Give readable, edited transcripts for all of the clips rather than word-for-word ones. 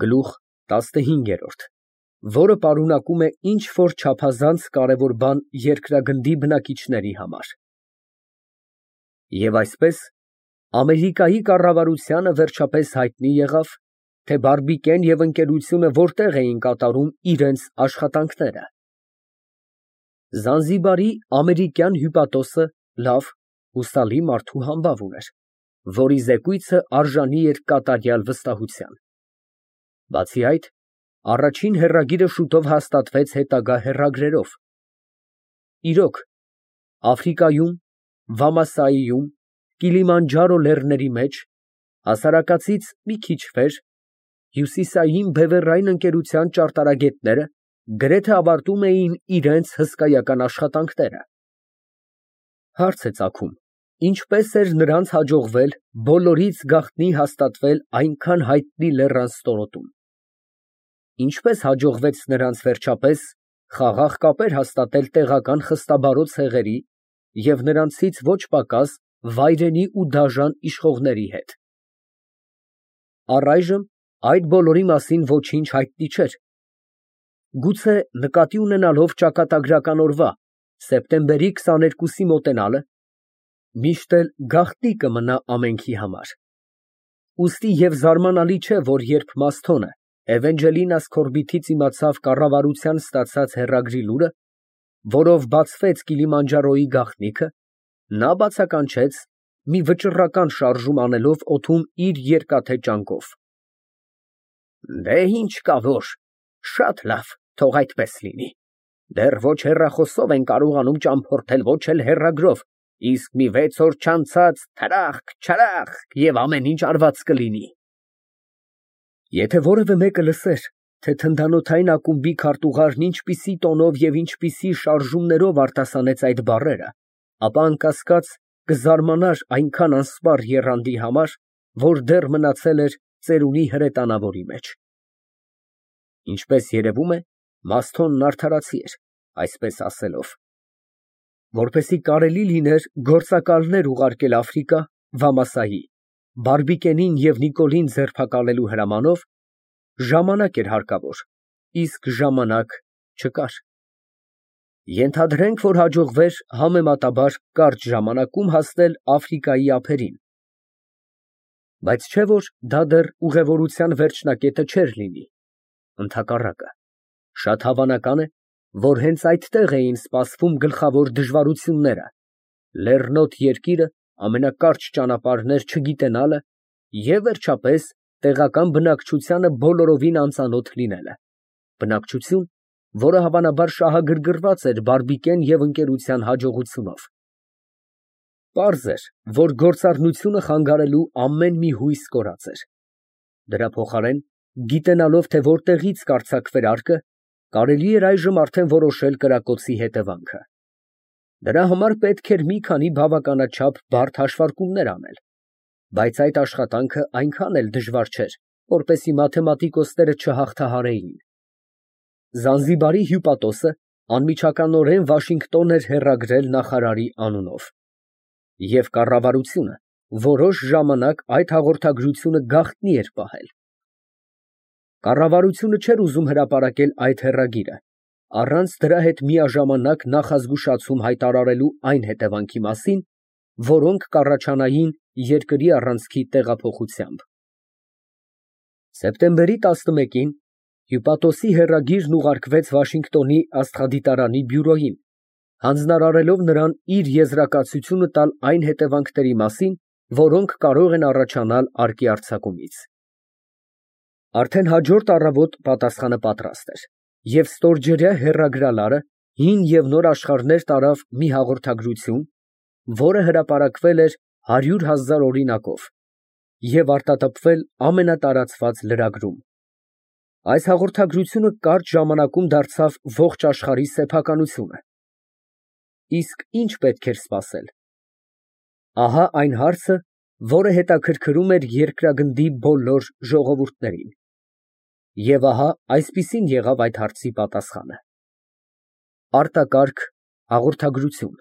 Գլուխ 15, որը պարունակում է ինչ֊որ չափազանց կարևոր բան երկրագնդի բնակիչների համար։ Եվ այսպես, Ամերիկայի կառավարությանը վերջապես հայտնի եղավ, թե Բարբիկեն և ընկերությունը որտեղ էին կատարում իրենց աշխատանքները։ Զանզիբարի ամերիկյան հյուպատոսը լավ, հուսալի մարդու համբավ ուներ, որի զեկույցը արժանի էր կատարյալ վստահության։ Բացի այդ, առաջին հեռագիրը շուտով հաստատվեց հետագա հեռագրերով։ Իրոք, Աֆրիկայում, Վամասայիում, Կիլիմանջարո լեռների մեջ, հասարակածից մի քիչ վեր, հյուսիսային բևեռային ընկերության ճարտարագետները գրեթե ավարտում էին իրենց հսկայական աշխատանքները։ Հարց է ծագում, ինչպես էր նրանց հաջողվել բոլորից գաղտնի հաստատվել այնքան հայտնի լեռան ստորոտում։ Ինչպես հաջողվեց նրանց վերջապես խաղաղ կապեր հաստատել տեղական խստաբարոյ ցեղերի և նրանցից ոչ պակաս վայրենի ու դաժան իշխողների հետ։ Առայժմ այդ բոլորի մասին ոչինչ հայտնի չէր։ Գուցե նկատի ունենալով ճակատագրական օրվա՝ սեպտեմբերի 22-ի մոտենալը, միշտ էլ գաղտնի կմնա ամենքի համար։ Ուստի և զարմանալի չէ, որ երբ Մասթոնը Էվենջելինաս Քորբիթից իմացավ կառավարության ստացած հեռագրի լուրը, որով բացվեց Կիլիմանջարոյի գաղտնիքը, նա բացականչեց, մի վճռական շարժում անելով օդում իր երկաթե ճանկով։ Դե ինչ կա որ, շատ լավ, թող այդպես լինի։ Դեռ ոչ հեռախոսով են կարողանում ճամփորդել, ոչ էլ հեռագրով, իսկ մի 6 օր չանցած թրախկ, չրախկ և ամեն ինչ արված կլինի։ Եթե որևէ մեկը լսեր, թե թնդանոթային ակումբի քարտուղարն ինչպիսի տոնով և ինչպիսի շարժումներով արտասանեց այդ բառերը, ապա անկասկած կզարմանար այնքան անսպառ եռանդի համար, որ դեռ մնացել էր ծերունի հրետանավորի մեջ։ Ինչպես երևում է, Մասթոնն արդարացի էր, այսպես ասելով։ Որպեսզի կարելի լիներ գործակալներ ուղարկել Աֆրիկա, Վամասայի, Բարբիկենին և Նիկոլին ձերբակալելու հրամանով, ժամանակ էր հարկավոր, իսկ ժամանակ չկար։ Ենթադրենք, որ հաջողվեր համեմատաբար կարճ ժամանակում հասնել Աֆրիկայի ափերին։ Բայց չէ՞ որ դա դեռ ուղևորության վերջնակետը չէր լինի։ Ընդհակառակը, շատ հավանական է, որ հենց այդտեղ էին սպասվում գլխավոր դժվարությունները՝ լեռնոտ երկիրը, ամենակարճ ճանապարհներ չգիտենալը և, վերջապես, տեղական բնակչությանը բոլորովին անծանոթ լինելը, բնակչություն, որը հավանաբար շահագրգռված էր Բարբիկեն և ընկերության հաջողությունով։ Պարզ էր, որ գործառնությունը խանգարելու ամեն մի հույս կորած էր։ Դրա փոխարեն, գիտենալով, թե որտեղից կարձակվեր արկը, կարելի էր այժմ արդեն որոշել կրակոցի հետևանքը։ Դրա համար պետք էր մի քանի բավականաչափ բարդ հաշվարկումներ անել, բայց այդ աշխատանքը այնքան էլ դժվար չէր, որպեսզի մաթեմատիկոսները չհաղթահարեին։ Զանզիբարի հյուպատոսը անմիջականորեն Վաշինգտոն էր հեռագրել նախարարի անունով, և կառավարությունը որոշ ժամանակ այդ հաղորդագրությունը գաղտնի էր պահել։ Կառավարությունը չէր ուզում հրապարակել այդ հեռագիրը, առանց դրա հետ միաժամանակ նախազգուշացում հայտարարելու այն հետևանքի մասին, որոնք կառաջանային երկրի առանցքի տեղափոխությամբ։ Սեպտեմբերի 11-ին հյուպատոսի հեռագիրն ուղարկվեց Վաշինգտոնի աստղադիտարանի բյուրոյին, հանձնարարելով նրան իր եզրակացությունը տալ այն հետևանքների մասին, որոնք կարող են առաջանալ արկի արձակումից։ Արդեն հաջորդ առավոտ պատասխանը պատրաստ էր, և ստորջրյա հեռագրալարը հին և նոր աշխարհներ տարավ մի հաղորդագրություն, որը հրապարակվել էր 100,000 օրինակով և արտատպվել ամենատարածված լրագրում։ Այս հաղորդագրությունը կարճ ժամանակում դարձավ ողջ աշխարհի սեփականությունը։ Իսկ ի՞նչ պետք էր սպասել։ Ահա այն հարցը, որը հետաքրքրում էր երկրագնդի բոլոր ժողովուրդներին։ Եվ ահա այսպիսին եղավ այդ հարցի պատասխանը. Արտակարգ հաղորդագրություն։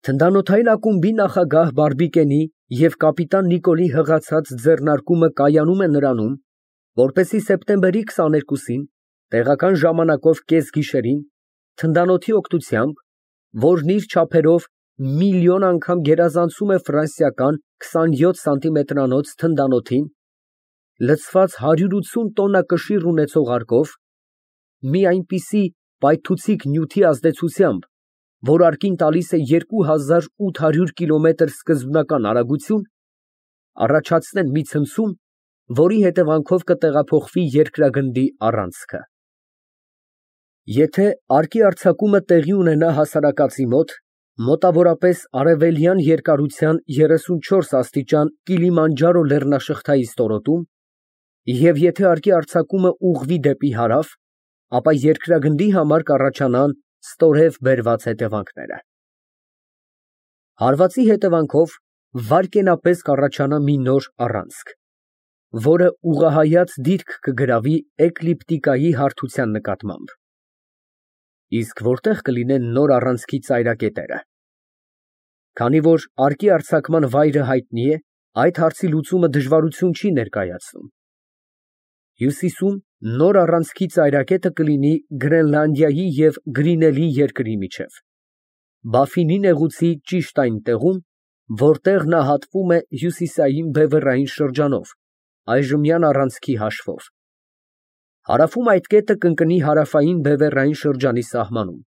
Թնդանոթային ակումբի նախագահ Բարբիկենի և կապիտան Նիկոլի հղացած ձեռնարկումը կայանում է նրանում, Որպեսզի սեպտեմբերի 22-ին տեղական ժամանակով կեսգիշերին թնդանոթի օգնությամբ, որն իր չափերով միլիոն անգամ գերազանցում է ֆրանսիական 27 սանտիմետրանոց թնդանոթին, լցված 180 տոննա կշիռ ունեցող արկով, մի այնպիսի պայթուցիկ նյութի ազդեցությամբ, որ արկին տալիս է 2800 կիլոմետր սկզբնական արագություն, առաջացնեն մի ցնցում, որի հետևանքով կտեղափոխվի երկրագնդի առանցքը։ Եթե արկի արձակումը տեղի ունենա հասարակածի մոտ, մոտավորապես արևելյան երկարության 34 աստիճան Կիլիմանջարո լեռնաշղթայի ստորոտում, և եթե արկի արձակումը ուղղվի դեպի հարավ, ապա երկրագնդի համար կառաջանան ստորև բերված հետևանքները։ Հարվածի հետևանքով վայրկենապես կառաջանա մի նոր առանցք, որը ուղղահայաց դիրք կգրավի էկլիպտիկայի հարթության նկատմամբ։ Իսկ որտեղ կլինեն նոր առանցքի ծայրակետերը։ Քանի որ արկի արձակման վայրը հայտնի է, այդ հարցի լուծումը դժվարություն չի ներկայացնում։ Հյուսիսում նոր առանցքի ծայրակետը կլինի Գրենլանդիայի և Գրինելի երկրի միջև, Բաֆինի նեղուցի ճիշտ այն տեղում, որտեղ նա հատվում է հյուսիսային բևեռային շրջանով, այժմյան առանցքի հաշվով։ Հարավում այդ կետը կընկնի հարավային բևեռային շրջանի սահմանում,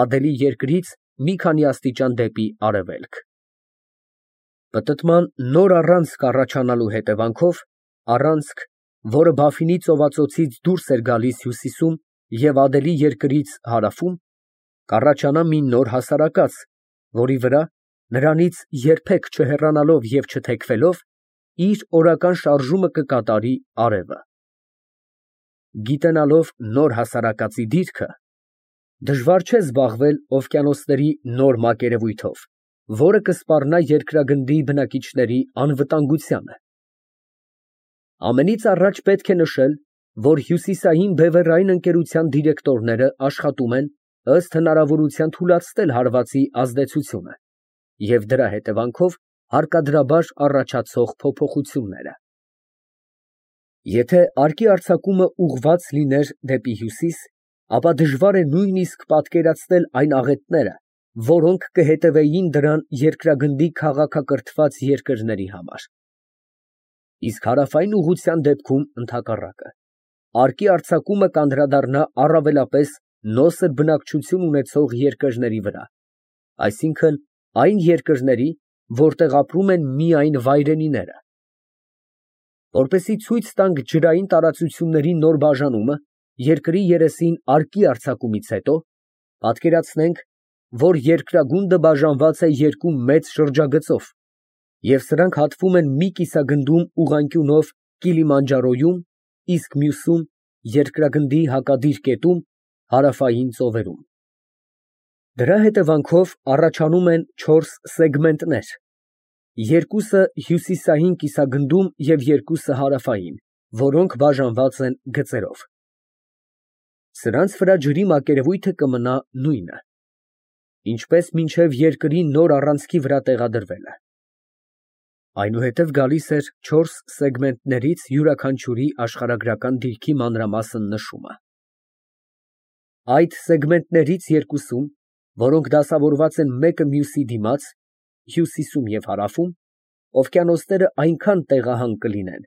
Ադելի երկրից մի քանի աստիճան դեպի արևելք։ Պտտման նոր առանցք առաջանալու հետևանքով, առանցք, որը Բաֆինի ծովածոցից դուրս էր գալիս հյուսիսում և Ադելի երկրից հարավում, կառաջանա մի նոր հասարակած, որի վրա, նրանից երբեք չհեռանալով և չթեքվելով, իր օրական շարժումը կկատարի արևը։ Գիտենալով նոր հասարակածի դիրքը, դժվար չէ զբաղվել օվկիանոսների նոր մակերևույթով, որը կսպառնա երկրագնդի բնակիչների անվտանգությանը։ Ամենից առաջ պետք է նշել, որ հյուսիսային բևեռային ընկերության դիրեկտորները աշխատում են ըստ հնարավորության թուլացնել հարվածի ազդեցությունը և դրա հետևանքով հարկադրաբար առաջացող փոփոխությունները։ Եթե արկի արձակումը ուղղված լիներ դեպի հյուսիս, ապա դժվար է նույնիսկ պատկերացնել այն աղետները, որոնք կհետևեին դրան երկրագնդի քաղաքակրթված երկրների համար։ Իսկ հարավային ուղղության դեպքում ընդհակառակը, արկի արձակումը կանդրադառնա առավելապես նոսր բնակչություն ունեցող երկրների վրա, այսինքն այն երկրների, որտեղ ապրում են միայն վայրենիները։ Որպեսզի ցույց տանք ջրային տարածությունների նոր բաժանումը երկրի երեսին արկի արձակումից հետո, պատկերացնենք, որ երկրագունդը բաժանված է երկու մեծ շրջագծով, և սրանք հատվում են մի կիսագնդում ուղղանկյունով Կիլիմանջարոյում, իսկ մյուսում երկրագնդի հակադիր կետում հարավային ծովերում։ Դրա հետևանքով առաջանում են 4 սեգմենտներ, երկուսը հյուսիսային կիսագնդում և երկուսը հարավային, որոնք բաժանված են գծերով։ Սրանց վրա ջրի մակերևույթը կմնա նույնը, ինչպես մինչև երկրի նոր առանցքի վրա տեղադրվելը։ Այնուհետև գալիս էր 4 սեգմենտներից յուրաքանչյուրի աշխարհագրական դիրքի մանրամասն նշումը։ Այդ սեգմենտներից երկուսում, որոնք դասավորված են մեկը մյուսի դիմաց, հյուսիսում և հարավում, օվկիանոսները այնքան տեղահան կլինեն,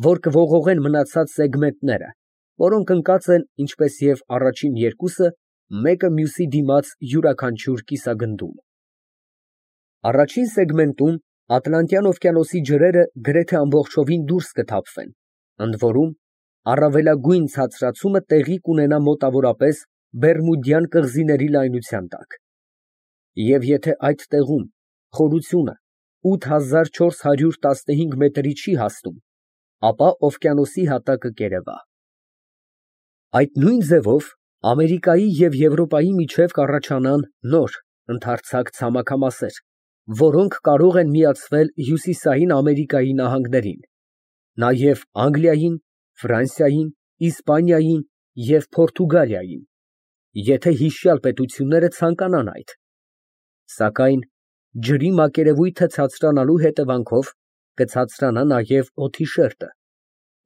որ կողողեն մնացած սեգմենտները, որոնք ընկած են, ինչպես և առաջին երկուսը, մեկը մյուսի դիմաց յուրաքանչյուր կիսագնդում։ Առաջին սեգմենտում Ատլանտյան օվկիանոսի ջրերը գրեթե ամբողջովին դուրս կթափվեն, ընդ որում առավելագույն ցածրացումը տեղի կունենա մոտավորապես Բերմուդյան կղզիների լայնության տակ։ Եվ եթե այդ տեղում խորությունը 8415 մետրի չի հասնում, ապա օվկիանոսի հատակը կերևա։ Այդ նույն ձևով Ամերիկայի և Եվրոպայի միջև կառաջանան նոր, ընդարձակ ցամաքամասեր, որոնք կարող են միացվել Հյուսիսային Ամերիկայի նահանգներին, նաև Անգլիային, Ֆրանսիային, Իսպանիային և Պորտուգալիային, եթե հիշյալ պետությունները ցանկանան այդ։ Սակայն ջրի մակերևույթը ցածրանալու հետևանքով կցածրանա նաև օդի շերտը,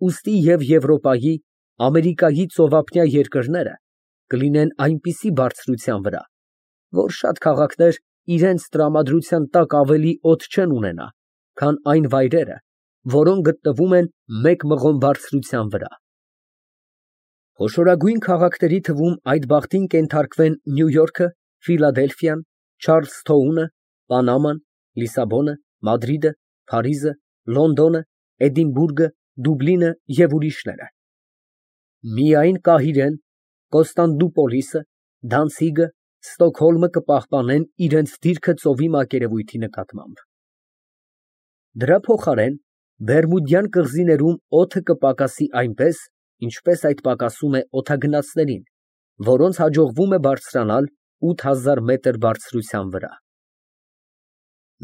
ուստի և Եվրոպայի, Ամերիկայի ծովափնյա երկրները կլինեն այնպիսի բարձրության վրա, որ շատ քաղաքներ իրենց տրամադրության տակ ավելի օդ չեն ունենա, քան այն վայրերը, որոնք գտնվում են մեկ մղոն բարձրության վրա։ Խոշորագույն քաղաքների թվում այդ բախտին կենթարկվեն Նյու Յորքը, Ֆիլադելֆիան, Չարլսթոունը, Պանաման, Լիսաբոնը, Մադրիդը, Փարիզը, Լոնդոնը, Էդինբուրգը, Դուբլինը և ուրիշները։ Միայն Կահիրեն, Կոստանդնուպոլիսը, Դանցիգը, Ստոկհոլմը կպահպանեն իրենց դիրքը ծովի մակերևույթի նկատմամբ։ Դրա փոխարեն Բերմուդյան կղզիներում օդը կպակասի այնպես, ինչպես այդ պակասում է օդագնացներին, որոնց հաջողվում է բարձրանալ 8000 մետր բարձրության վրա։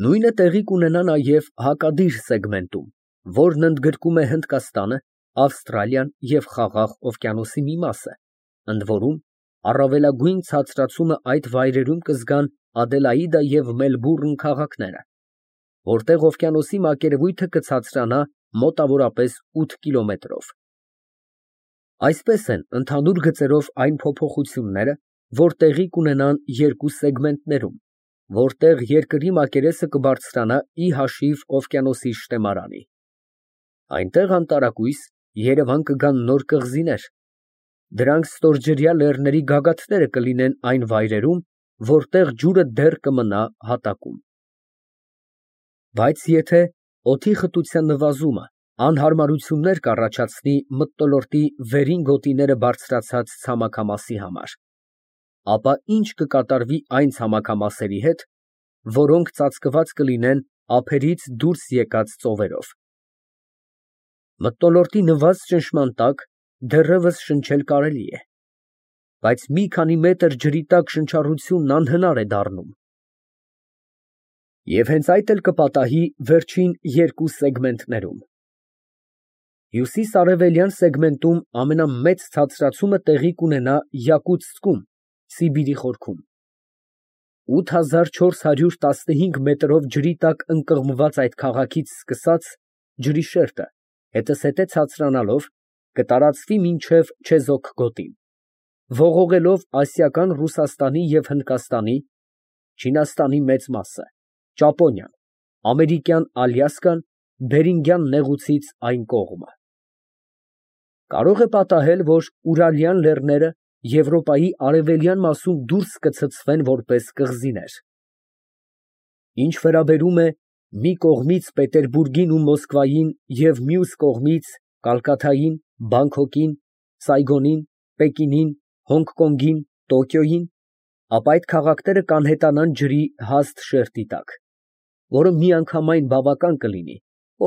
Նույնը տեղի կունենա նաև հակադիր սեգմենտում, որն ընդգրկում է Հնդկաստանը, Ավստրալիան և Խաղաղ օվկիանոսի մի մասը, ընդ որում առավելագույն ցածրացումը այդ վայրերում կզգան Ադելաիդա և Մելբուրն քաղաքները, որտեղ օվկիանոսի մակերևույթը կցածրանա մոտավորապես 8 կիլոմետրով։ Այսպես են ընդհանուր գծերով այն փոփոխությունները, որ տեղի կունենան երկու սեգմենտներում, որտեղ երկրի մակերեսը կբարձրանա ի հաշիվ օվկիանոսի շտեմարանի։ Այնտեղ անտարակույս Երևան կգան նոր կղզիներ, դրանք ստորջրյա լեռների գագաթները կլինեն այն վայրերում, որտեղ ջուրը դեռ կմնա հատակում։ Բայց եթե օդի խտության նվազումը անհարմարություններ կառաջացնի մթնոլորտի վերին գոտիները բարձրացած ցամաքամասի համար, ապա ինչ կկատարվի այն ցամաքամասերի հետ, որոնք ծածկված կլինեն ափերից դուրս եկած ծովերով։ Մթնոլորտի նվազ ճնշման տակ դեռևս շնչել կարելի է, բայց մի քանի մետր ջրի տակ շնչառությունն անհնար է դառնում։ Եվ հենց այդ էլ կպատահի վերջին երկու սեգմենտներում։ Հյուսիս֊արևելյան սեգմենտում ամենամեծ ցածրացումը տեղի կունենա Յակուտսկում, Սիբիրի խորքում։ 8415 մետրով ջրի տակ ընկղմված այդ քաղաքից սկսած ջրի շերտը հետզհետե ցածրանալով կտարածվի մինչև Չեզոք գոտին, ողողելով ասիական Ռուսաստանի և Հնդկաստանի, Չինաստանի մեծ մասը, Ճապոնիան, ամերիկյան Ալյասկան, Բերինգյան նեղուցից այն կողմը։ Կարող է պատահել, որ Ուրալյան լեռները Եվրոպայի արևելյան մասում դուրս կցցվեն որպես կղզիներ։ Ինչ վերաբերում է մի կողմից Պետերբուրգին ու Մոսկվային և մյուս կողմից Կալկաթային, Բանգքոկին, Սայգոնին, Պեկինին, Հոնգկոնգին, Տոկիոյին, ապա այդ քաղաքները կանհետանան ջրի հաստ շերտի տակ, որը միանգամայն բավական կլինի,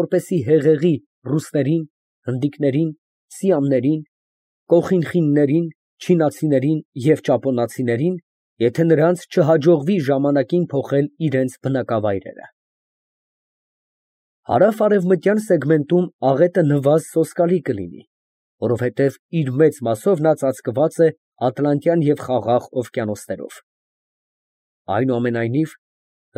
որպեսզի հեղեղի ռուսներին, հնդիկներին, սիամներին, կոխինխիններին, չինացիներին և ճապոնացիներին, եթե նրանց չհաջողվի ժամանակին փոխել իրենց բնակավայրերը։ Հարավ֊արևմտյան սեգմենտում աղետը նվազ սոսկալի կլինի, որովհետև իր մեծ մասով նա ծածկված է Ատլանտյան և Խաղաղ օվկիանոսներով։ Այնուամենայնիվ,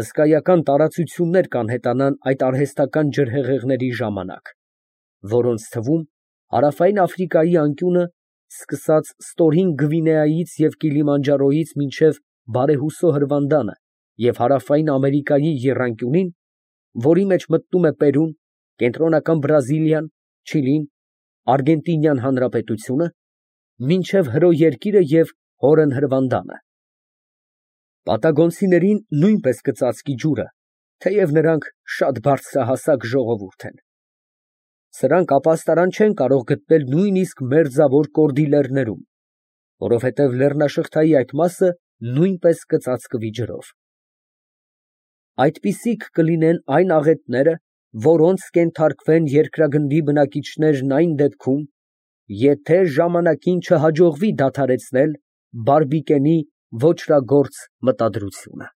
հսկայական տարածություններ կանհետանան այդ արհեստական ջրհեղեղների ժամանակ, որոնց թվում Հարավային Աֆրիկայի անկյունը, սկսած Ստորին Գվինեայից և Կիլիմանջարոյից մինչև Բարեհուսո հրվանդանը և Հարավային Ամերիկայի եռանկյունին, որի մեջ մտնում է Պերուն, Կենտրոնական Բրազիլիան, Չիլին, Արգենտինյան Հանրապետությունը, մինչև Հրո երկիրը և Հորն հրվանդանը։ Պատագոնցիներին նույնպես կծածկի ջուրը, թեև նրանք շատ բարձրահասակ ժողովուրդ են։ Սրանք ապաստարան չեն կարող գտնել նույնիսկ մերձավոր Կորդիլերներում, որովհետև լեռնաշղթայի այդ մասը նույնպես կծածկվի ջրով։ Այդպիսիք կլինեն այն աղետները, որոնց կենթարկվեն երկրագնդի բնակիչներն այն դեպքում, եթե ժամանակին չհաջողվի դադարեցնել բարբիկենի ոճրագործ մտադրությունը։